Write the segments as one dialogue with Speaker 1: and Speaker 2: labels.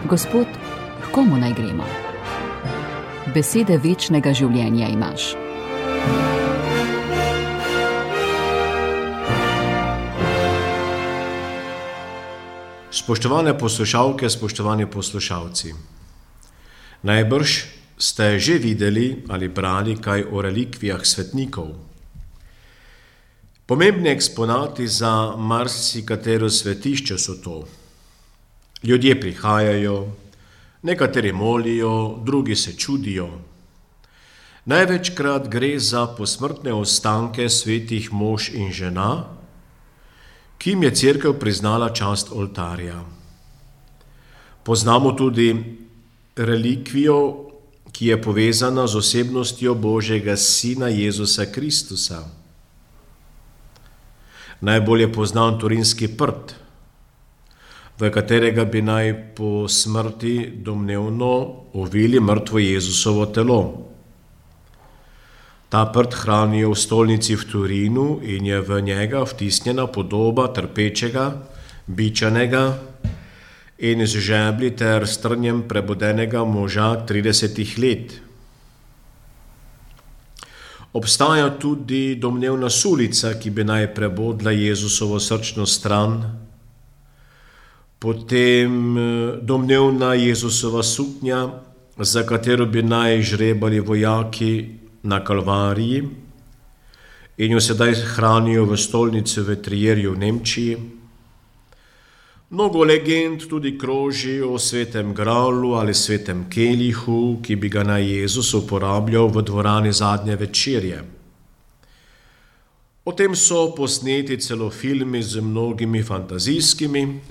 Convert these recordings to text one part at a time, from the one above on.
Speaker 1: Gospod, h komu naj gremo? Besede večnega življenja imaš.
Speaker 2: Spoštovane poslušalke, spoštovani poslušalci, najbrž ste že videli ali brali kaj o relikvijah svetnikov. Pomembni eksponati za marsikatero svetišče so to. Ljudje prihajajo, nekateri molijo, drugi se čudijo. Največkrat gre za posmrtne ostanke svetih mož in žena, ki jim je Cerkev priznala čast oltarja. Poznamo tudi relikvijo, ki je povezana z osebnostjo Božjega Sina Jezusa Kristusa. Najbolj je poznan Turinski prt, v katerega bi naj po smrti domnevno ovili mrtvo Jezusovo telo. Ta prt hranijo v stolnici v Turinu in je v njega vtisnjena podoba trpečega, bičanega in z žebli ter strnjem prebudenega moža 30 let. Obstaja tudi domnevna sulica, ki bi naj prebodla Jezusovo srčno stran, potem domnevna Jezusova suknja, za katero bi naj žrebali vojaki na Kalvariji in jo sedaj hranijo v stolnici v Trierju v Nemčiji. Mnogo legend tudi kroži o svetem gralu ali svetem kelihu, ki bi ga naj Jezus uporabljal v dvorani zadnje večerje. O tem so posneti celo filmi z mnogimi fantazijskimi,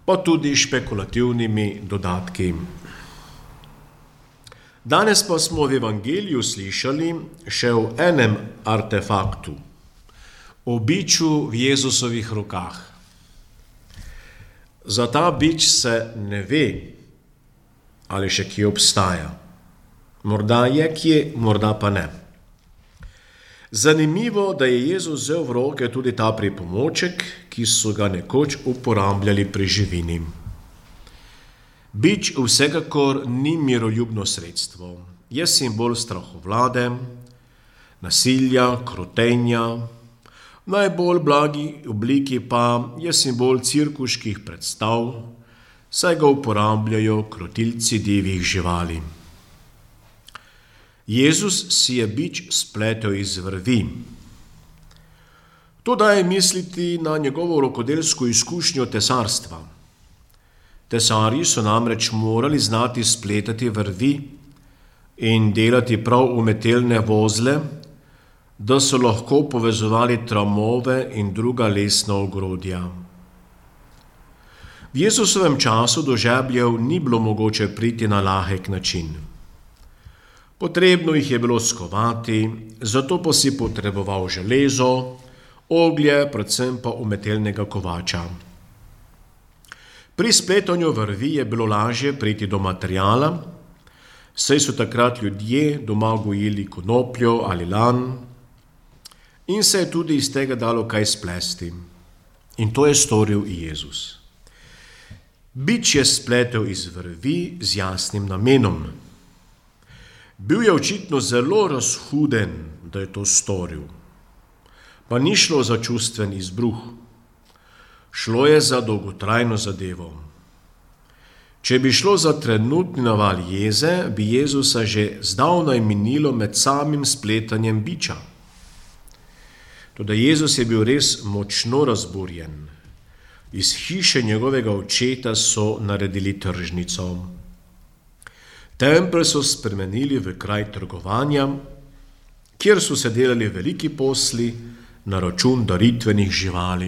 Speaker 2: pa tudi špekulativnimi dodatki. Danes pa smo v Evangeliju slišali še o enem artefaktu, o biču v Jezusovih rokah. Za ta bič se ne ve, ali še kje obstaja. Morda je kje, morda pa ne. Zanimivo, da je Jezus vzel v roke tudi ta pripomoček, ki so ga nekoč uporabljali pri živini. Bič vsekakor ni miroljubno sredstvo, je simbol strahovlade, nasilja, krotenja, v najbolj blagi obliki pa je simbol cirkuških predstav, saj ga uporabljajo krotilci divjih živali. Jezus si je bič spletel iz vrvi. To daje misliti na njegovo rokodelsko izkušnjo tesarstva. Tesarji so namreč morali znati spletati vrvi in delati prav umetelne vozle, da so lahko povezovali tramove in druga lesna ogrodja. V Jezusovem času do žebljev ni bilo mogoče priti na lahek način. Potrebno jih je bilo skovati, zato pa si potreboval železo, oglje, predvsem pa umetelnega kovača. Pri spletanju vrvi je bilo lažje priti do materiala, saj so takrat ljudje doma gojili konopljo ali lan in se je tudi iz tega dalo kaj splesti. In to je storil i Jezus. Bič je spletel iz vrvi z jasnim namenom. Bil je očitno zelo razhuden, da je to storil. Pa ni šlo za čustven izbruh. Šlo je za dolgotrajno zadevo. Če bi šlo za trenutni naval jeze, bi Jezusa že zdavnaj minilo med samim spletanjem biča. Toda Jezus je bil res močno razburjen. Iz hiše njegovega očeta so naredili tržnico. Tempelj so spremenili v kraj trgovanja, kjer so se delali veliki posli na račun daritvenih živali,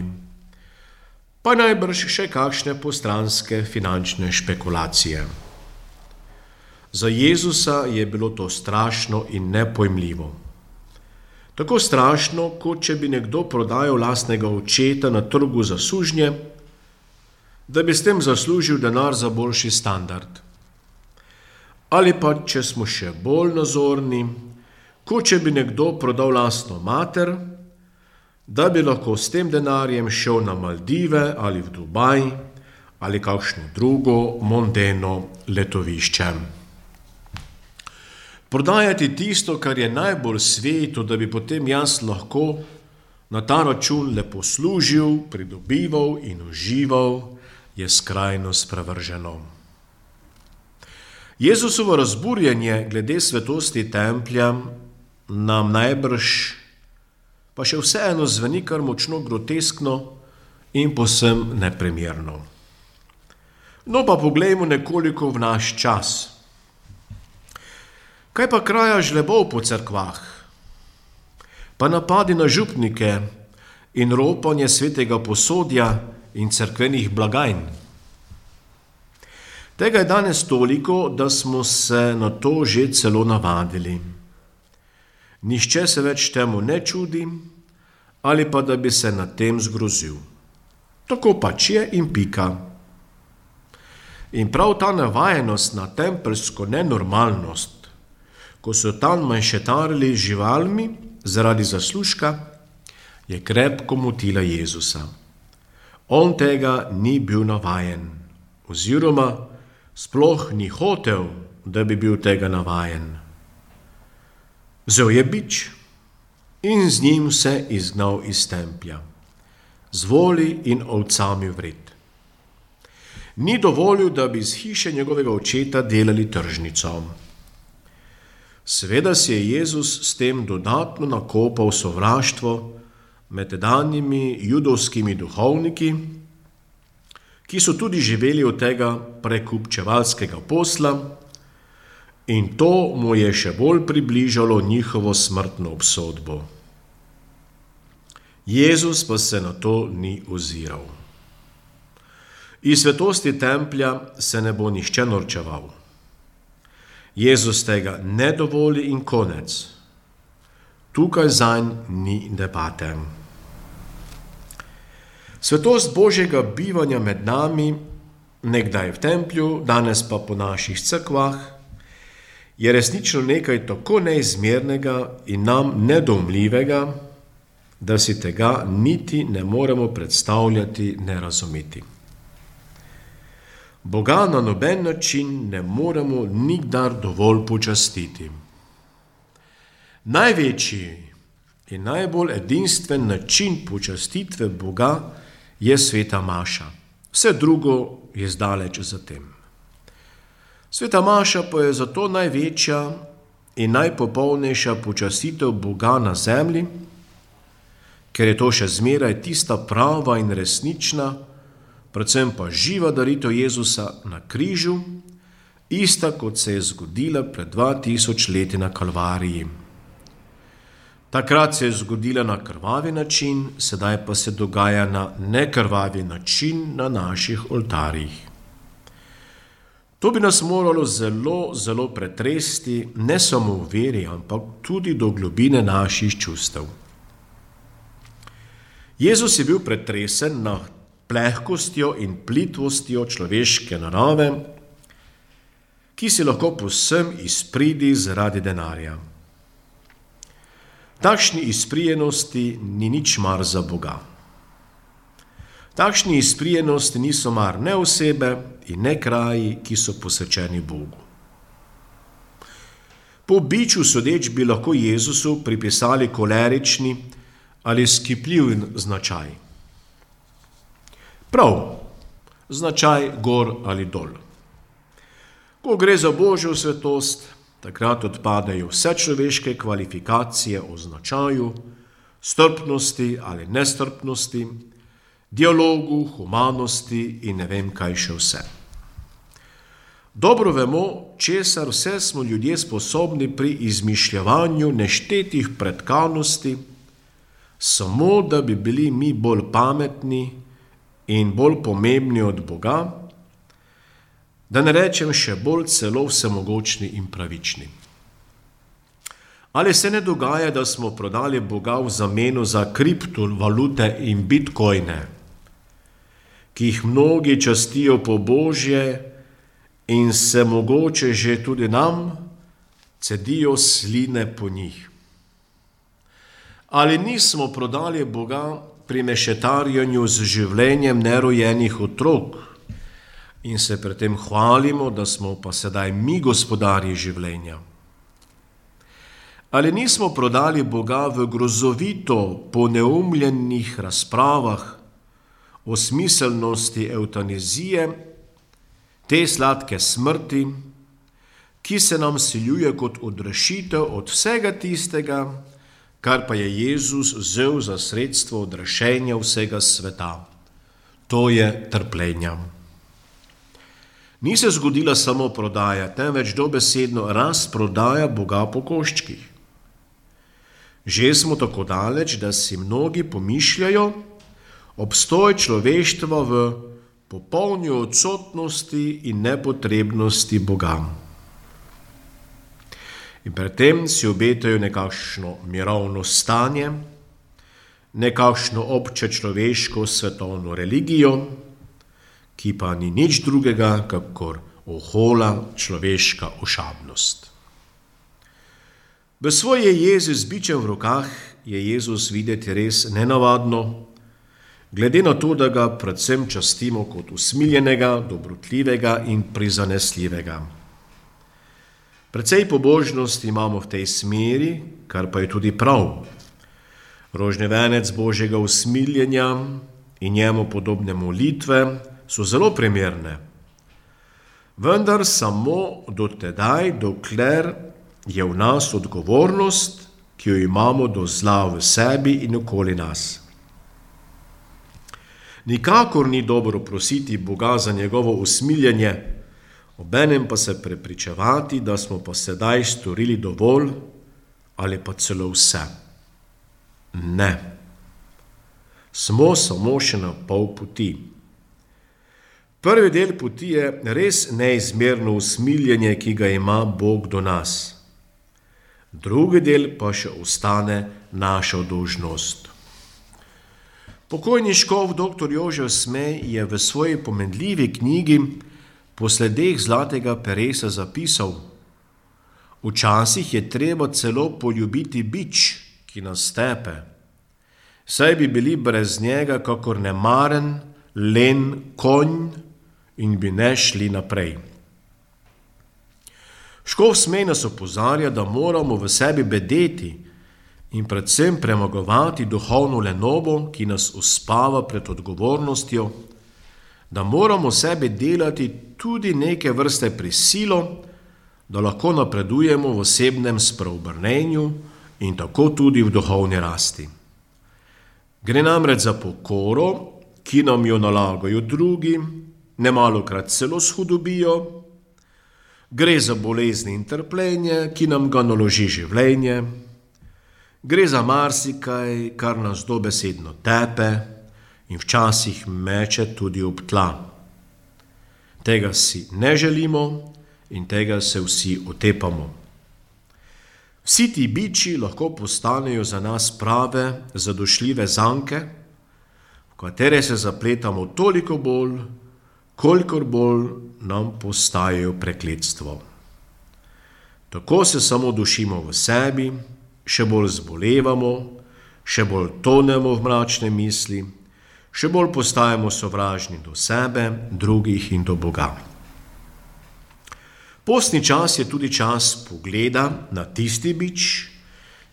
Speaker 2: pa najbrž še kakšne postranske finančne špekulacije. Za Jezusa je bilo to strašno in nepojmljivo. Tako strašno, kot če bi nekdo prodajal lastnega očeta na trgu za sužnje, da bi s tem zaslužil denar za boljši standard. Ali pa, če smo še bolj nazorni, kot če bi nekdo prodal lastno mater, da bi lahko s tem denarjem šel na Maldive ali v Dubaj ali kakšno drugo mondeno letovišče. Prodajati tisto, kar je najbolj sveto, da bi potem jaz lahko na ta račun lepo služil, pridobival in užival, je skrajno sprevrženo. Jezusovo razburjenje glede svetosti templja nam najbrž pa še vseeno zveni kar močno groteskno in povsem neprimerno. No pa poglejmo nekoliko v naš čas. Kaj pa kraja žlebov po cerkvah? Pa napadi na župnike in ropanje svetega posodja in cerkvenih blagajn? Tega je danes toliko, da smo se na to že celo navadili. Nihče se več temu ne čudi, ali pa da bi se nad tem zgrozil. Tako pač je in pika. In prav ta navajenost na tempeljsko nenormalnost, ko so tam manjšetarili z živalmi zaradi zaslužka, je krepko motila Jezusa. On tega ni bil navajen, oziroma sploh ni hotel, da bi bil tega navajen. Vzel je bič in z njim se izgnal iz templja, z voli in ovcami vred. Ni dovolil, da bi iz hiše njegovega očeta delali tržnico. Seveda si je Jezus s tem dodatno nakopal sovraštvo med tedanjimi judovskimi duhovniki, ki so tudi živeli od tega prekupčevalskega posla, in to mu je še bolj približalo njihovo smrtno obsodbo. Jezus pa se na to ni oziral. Iz svetosti templja se ne bo nihče norčeval. Jezus tega ne dovoli in konec. Tukaj zanj ni debate. Svetost Božjega bivanja med nami, nekdaj v templju, danes pa po naših cerkvah, je resnično nekaj tako neizmernega in nam nedoumljivega, da si tega niti ne moremo predstavljati, ne razumeti. Boga na noben način ne moremo nikdar dovolj počastiti. Največji in najbolj edinstven način počastitve Boga je sveta maša. Vse drugo je zdaleč za tem. Sveta maša pa je zato največja in najpopolnejša počastitev Boga na zemlji, ker je to še zmeraj tista prava in resnična, predvsem pa živa daritev Jezusa na križu, ista kot se je zgodila pred 2000 leti na Kalvariji. Takrat se je zgodila na krvavi način, sedaj pa se dogaja na nekrvavi način na naših oltarjih. To bi nas moralo zelo, zelo pretresti, ne samo v veri, ampak tudi do globine naših čustev. Jezus je bil pretresen nad plehkostjo in plitvostjo človeške narave, ki si lahko povsem izpridi zaradi denarja. Takšni izprijenosti ni nič mar za Boga. Takšni izprijenosti niso mar ne osebe in ne kraji, ki so posvečeni Bogu. Po biču sodeč bi lahko Jezusu pripisali kolerični ali skipljiv značaj. Prav, značaj gor ali dol. Ko gre za Božjo svetost, takrat odpadejo vse človeške kvalifikacije o značaju, strpnosti ali nestrpnosti, dialogu, humanosti in ne vem kaj še vse. Dobro vemo, česar vse smo ljudje sposobni pri izmišljevanju neštetih pretkanosti, samo da bi bili mi bolj pametni in bolj pomembni od Boga, da ne rečem še bolj celo vsemogočni in pravični. Ali se ne dogaja, da smo prodali Boga v zameno za kriptovalute in bitcoine, ki jih mnogi častijo po Božje in se mogoče že tudi nam cedijo sline po njih? Ali nismo prodali Boga pri mešetarjenju z življenjem nerojenih otrok in se pri tem hvalimo, da smo pa sedaj mi gospodarji življenja. Ali nismo prodali Boga v grozovito poneumljenih razpravah o smiselnosti evtanazije, te sladke smrti, ki se nam siljuje kot odrešitev od vsega tistega, kar pa je Jezus vzel za sredstvo odrešenja vsega sveta. To je trpljenja. Ni se zgodila samo prodaja, temveč dobesedno razprodaja Boga po koščkih. Že smo tako daleč, da si mnogi pomišljajo obstoj človeštva v popolni odsotnosti in nepotrebnosti Boga. In pred tem si obetajo nekakšno mirovno stanje, nekakšno obče človeško svetovno religijo, ki pa ni nič drugega, kakor ohola človeška ošabnost. V svoji jezi z bičem v rokah je Jezus videti res nenavadno, glede na to, da ga predvsem častimo kot usmiljenega, dobrotljivega in prizanesljivega. Precej pobožnosti imamo v tej smeri, kar pa je tudi prav. Rožni venec Božjega usmiljenja in njemu podobne molitve so zelo primerne. Vendar samo do tedaj, dokler je v nas odgovornost, ki jo imamo do zla v sebi in okoli nas. Nikakor ni dobro prositi Boga za njegovo usmiljenje, obenem pa se prepričevati, da smo pa sedaj storili dovolj ali pa celo vse. Ne. Smo samo še na pol poti. Prvi del poti je res neizmerno usmiljenje, ki ga ima Bog do nas. Drugi del pa še ostane naša dolžnost. Pokojni škof dr. Jožef Smej je v svoji pomenljivi knjigi Po sledeh zlatega peresa zapisal: včasih je treba celo poljubiti bič, ki nas tepe, saj bi bili brez njega kakor nemaren, len konj in bi ne šli naprej. Škof Smej nas opozarja, da moramo v sebi bedeti in predvsem premagovati duhovno lenobo, ki nas uspava pred odgovornostjo, da moramo sebe delati tudi neke vrste prisilo, da lahko napredujemo v osebnem spreobrnenju in tako tudi v duhovni rasti. Gre namreč za pokoro, ki nam jo nalagajo drugi, nemalokrat celo s hudobijo. Gre za bolezni in trpljenje, ki nam ga naloži življenje. Gre za marsikaj, kar nas dobesedno tepe in včasih meče tudi ob tla. Tega si ne želimo in tega se vsi otepamo. Vsi ti biči lahko postanejo za nas prave, zadošljive zanke, v katere se zapletamo toliko bolj, kolikor bolj nam postajajo prekletstvo. Tako se samo dušimo v sebi, še bolj zbolevamo, še bolj tonemo v mračne misli, še bolj postajamo sovražni do sebe, drugih in do Boga. Postni čas je tudi čas pogleda na tisti bič,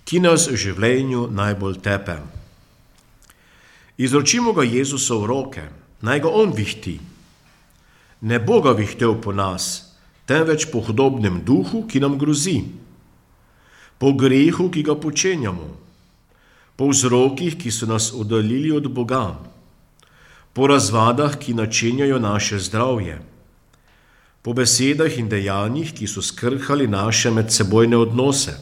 Speaker 2: ki nas v življenju najbolj tepe. Izročimo ga Jezusu v roke, naj ga on vihti. Ne bo ga vihtel po nas, temveč po hudobnem duhu, ki nam grozi, po grehu, ki ga počenjamo, po vzrokih, ki so nas oddaljili od Boga, po razvadah, ki načenjajo naše zdravje, po besedah in dejanjih, ki so skrhali naše medsebojne odnose,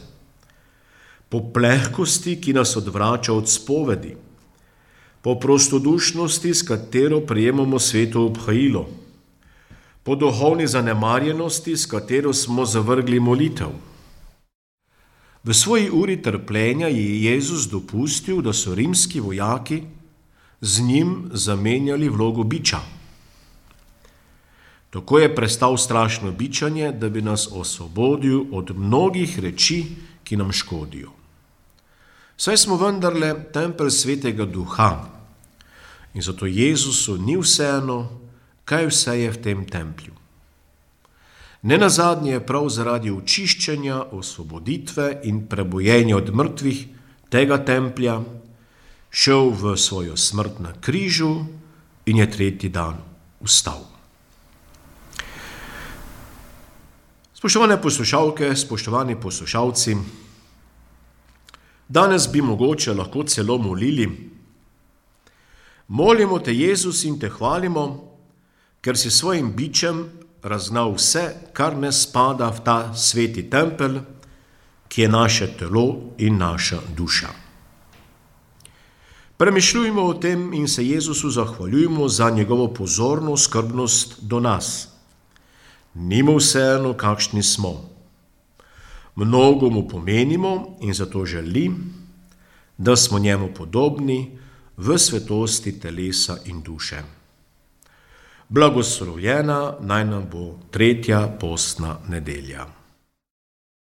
Speaker 2: po plehkosti, ki nas odvrača od spovedi, po prostodušnosti, s katero prijemamo sveto obhajilo, po duhovni zanemarjenosti, s katero smo zavrgli molitev. V svoji uri trpljenja je Jezus dopustil, da so rimski vojaki z njim zamenjali vlogo biča. Tako je prestal strašno bičanje, da bi nas osvobodil od mnogih reči, ki nam škodijo. Saj smo vendarle tempelj svetega duha in zato Jezusu ni vseeno, kaj vse je v tem templju. Nenazadnje je prav zaradi očiščenja, osvoboditve in prebojenja od mrtvih tega templja šel v svojo smrt na križu in je tretji dan vstal. Spoštovane poslušalke, spoštovani poslušalci, danes bi mogoče lahko celo molili: molimo te, Jezus, in te hvalimo, ker si svojim bičem razgnal vse, kar ne spada v ta sveti tempelj, ki je naše telo in naša duša. Premišljujmo o tem in se Jezusu zahvaljujmo za njegovo pozorno skrbnost do nas. Ni mu vseeno, kakšni smo. Mnogo mu pomenimo in zato želi, da smo njemu podobni v svetosti telesa in duše. Blagoslovljena naj nam bo 3. postna nedelja.